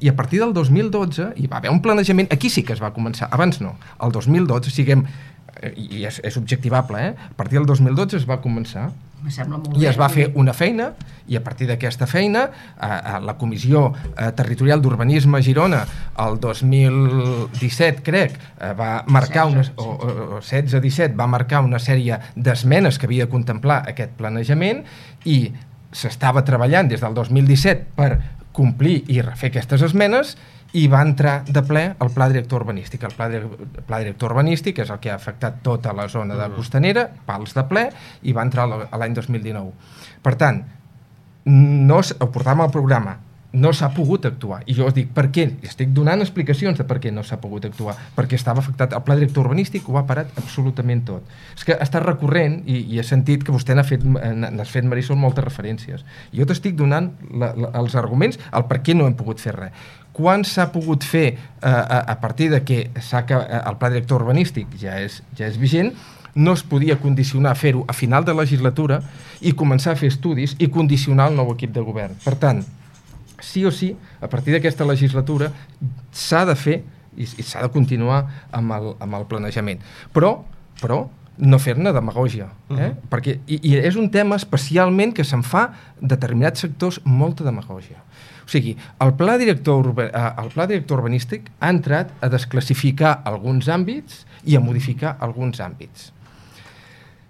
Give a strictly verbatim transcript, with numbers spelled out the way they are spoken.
I a partir del dos mil dotze hi va haver un planejament, aquí sí que es va començar, abans no, el dos mil dotze, siguem, i és, és objectivable, eh? A partir del dos mil dotze es va començar i es va fer una feina, i a partir d'aquesta feina eh, la Comissió eh, Territorial d'Urbanisme a Girona el dos mil disset, crec, eh, va marcar unes, o, o setze disset va marcar una sèrie d'esmenes que havia de contemplar aquest planejament, i s'estava treballant des del dos mil disset per complir i refer aquestes esmenes, i va entrar de ple el Pla Director Urbanístic. El Pla, el Pla Director Urbanístic és el que ha afectat tota la zona de costanera, pals de ple, i va entrar l'any dos mil dinou. Per tant, no, ho portàvem al programa, no s'ha pogut actuar. I jo us dic, per què? Estic donant explicacions de per què no s'ha pogut actuar. Perquè estava afectat. El Pla Director Urbanístic ho ha parat absolutament tot. És que està recurrent, i, i he sentit que vostè n'ha fet, n'has fet, Marisol, moltes referències. Jo t'estic donant la, la, els arguments, el per què no hem pogut fer res. Quan s'ha pogut fer, eh, a, a partir de que s'ha, el Pla Director Urbanístic ja és, ja és vigent, no es podia condicionar fer-ho a final de legislatura i començar a fer estudis i condicionar el nou equip de govern. Per tant, sí o sí, a partir d'aquesta legislatura s'ha de fer i, i s'ha de continuar amb el, amb el planejament. Però, però no fer-ne demagògia. Eh? Uh-huh. Perquè, i, I és un tema especialment que se'n fa determinats sectors molta demagògia. O sigui, el pla director, el pla director urbanístic ha entrat a desclassificar alguns àmbits i a modificar alguns àmbits.